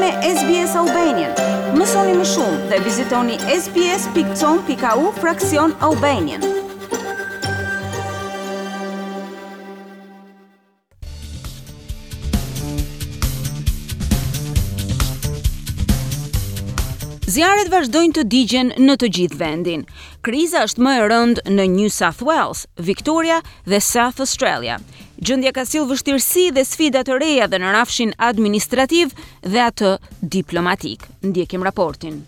me SBS Albanian. Mësoni më shumë dhe vizitoni sbs.com.au fraksion Albanian. Zjarret vazhdojnë të digjen në të gjithë vendin. Kriza është më e rëndë në New South Wales, Victoria dhe South Australia. Gjendja ka sjellë vështirësi dhe sfida të reja dhe në rrafshin administrativ dhe atë diplomatik. Ndjekim raportin.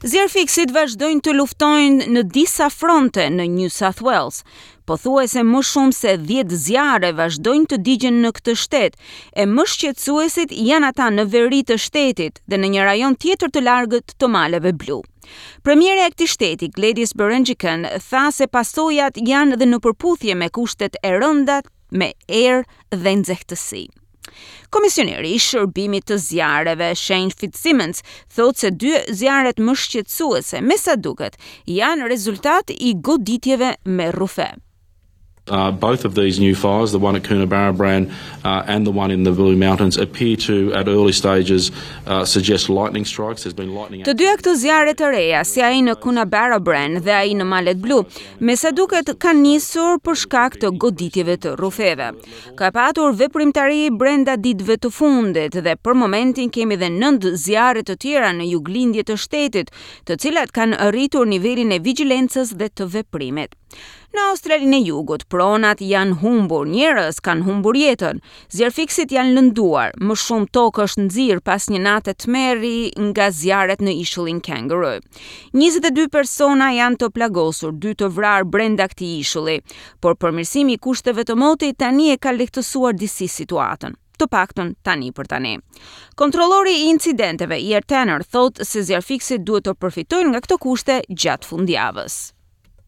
Zjarrfikësit vazhdojnë të luftojnë në disa fronte në New South Wales. Pothuajse më shumë se 10 zjarre vazhdojnë të digjen në këtë shtet, e më shqetësuesit janë ata në veri të shtetit dhe në një rajon tjetër të largët të Maleve Blu. Premierja e këtij shteti, Gladys Berejiklian, tha se pasojat janë dhe në përputhje me kushtet e rënda me erë dhe nxehtësi. Komisioneri i shërbimit të zjarreve, Shane Fitzsimmons, thotë se dy zjarret më shqetësuese, me sa duket, janë rezultat i goditjeve me rrufe. Uh, both of these new fires, the one at Coonabarabran uh, and the one in the Blue Mountains, appear to, at early stages, uh, suggest lightning strikes. There's been lightning. Të dyja këto zjarre të reja, si ai në Coonabarabran dhe ai në Malet Blu, Me sa duket kanë nisur për shkak të goditjeve të rrufeve. Ka patur veprimtari brenda ditëve të fundit dhe për momentin kemi dhe nëntë zjarre të tjera në juglindje të shtetit, të cilat kanë rritur nivelin e vigjilencës dhe të veprimit. Në Australinë e Jugut, pronat janë humbur, njerëz kanë humbur jetën, zjarrfikësit janë lënduar, më shumë tokë është nxirë pas një nate tmerri nga zjarret në ishullin Kangaroo. 22 persona janë të plagosur, dy të vrarë brenda këtij ishulli, por përmirësimi i kushteve të motit tani e ka lehtësuar disi situatën të paktën tani për tani. Kontrollori i incidenteve, Ian Tanner, thotë se zjarrfikësit duhet të përfitojnë nga këto kushte gjatë fundjavës.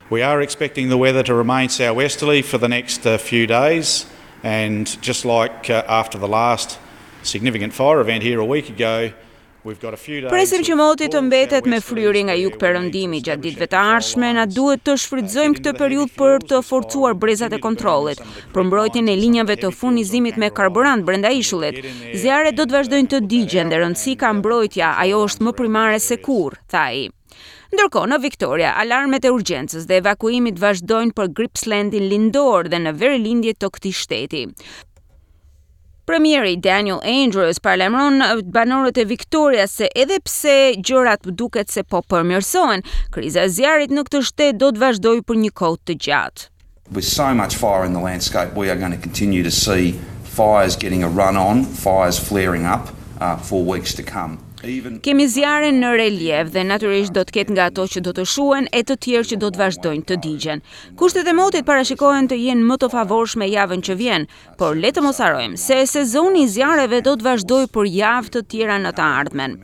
We are expecting the weather to remain southwesterly for the next uh, few days and just like uh, after the last significant fire event here a week ago, Presim që moti të mbetet me fryrje nga jugperëndimi gjatë ditëve të ardhshme, na duhet të shfrytëzojmë këtë periudhë për të forcuar brezat e kontrollit, për mbrojtjen e linjave të furnizimit me karburant brenda ishullit. Zjarret do të vazhdojnë të digjen dhe rëndësi ka mbrojtja, ajo është më primare se kurrë, tha ai. Ndërkohë, në Victoria, alarmet e urgjencës dhe evakuimit vazhdojnë për Gippslandin lindor dhe në verilindje të këtij shteti. Premieri Daniel Andrews paralajmëron banorët e Victoria se edhe pse gjërat duket se po përmirësohen, kriza e zjarrit në këtë shtet do të vazhdojë për një kohë të gjatë. With so much fire in the landscape, we are going to continue to see fires getting a run on, fires flaring up uh, for weeks to come. Kemi zjarre në reliev dhe natyrisht do të ketë nga ato që do të shuhen e të tjerë që do të vazhdojnë të digjen. Kushtet e motit parashikohen të jenë më të favorshme javën që vjen, Por le të mos harrojmë se sezoni i zjarreve do të vazhdojë për javë të tjera në të ardhmen.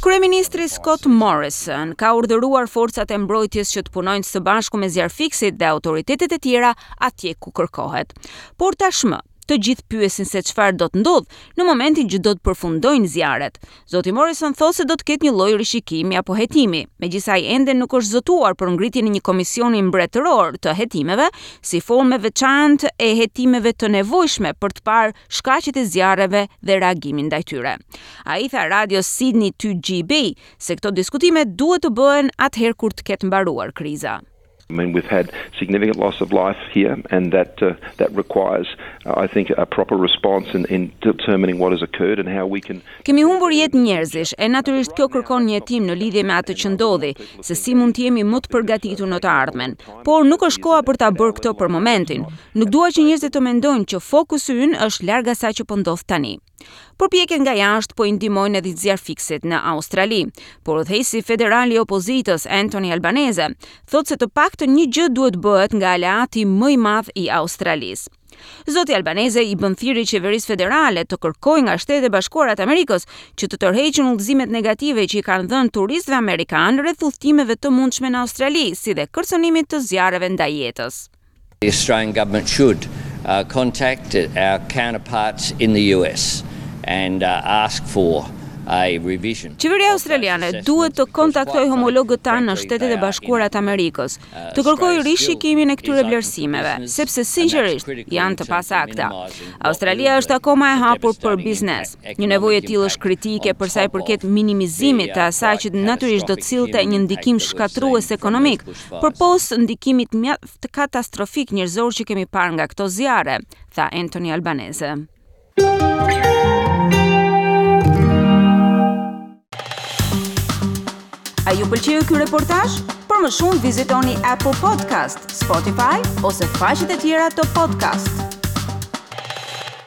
Kryeministri Scott Morrison ka urdhëruar forcat e mbrojtjes që të punojnë së bashku me zjarrfikësit dhe autoritetet e tjera atje ku kërkohet. Por tashmë, të gjithë pyesin se çfarë do të ndodhë në momentin që do të përfundojnë zjarret. Zoti Morrison thotë se do të ketë një lloj rishikimi apo hetimi, megjithëse ai ende nuk është zotuar për ngritjen e një komisioni mbretëror të hetimeve, si formë e veçantë e hetimeve të nevojshme për të parë shkaqet e zjarreve dhe reagimin ndaj tyre. Ai tha radios Sydney 2GB se këto diskutime duhet të bëhen atëherë kur të ketë mbaruar kriza. I mean, we've had significant loss of life here, and that uh, that requires, uh, I think, a proper response in, in determining what has occurred and how we can. Kemi humbur jetë njerëzish, e natyrisht kjo kërkon një hetim në lidhje me atë që ndodhi, se si mund të jemi më të përgatitur në të ardhmen. Por nuk është koha për ta bërë këtë për momentin. Nuk dua që njerëzit të mendojnë që fokusi ynë është larg asaj që po ndodh tani. Përpjekjet nga jashtë po i ndihmojnë edhe zjarrfikësit në Australi, por udhëheqësi federal i opozitës Anthony Albanese thotë se të paktën një gjë duhet bëhet nga aleati më i madh i Australisë. Zoti Albanese i bën thirrje qeverisë federale të kërkojë nga Shtetet e Bashkuara të Amerikës që të tërheqin udhëzimet negative që i kanë dhënë turistëve amerikanë rreth udhëtimeve të mundshme në Australi, si dhe kërcënimit të zjarreve ndaj jetës. The Australian government should uh, contact our counterparts in the US and uh, ask for. a revision. Qeveria australiane duhet të kontaktojë homologët tanë në Shtetet e Bashkuara të Amerikës, të kërkojë rishikimin e këtyre vlerësimeve, sepse sinqerisht janë të pasakta. Australia është akoma e hapur për biznes. Një nevojë e tillë është kritike për sa i përket minimizimit të asaj që natyrisht do të sillte një ndikim shkatërrues ekonomik, përpos ndikimit mjaft katastrofik njerëzor që kemi parë nga këto zjarre, tha Anthony Albanese. A ju pëlqeu ky reportazh? Për më shumë vizitoni Apple Podcast, Spotify ose faqet e tjera të podcast.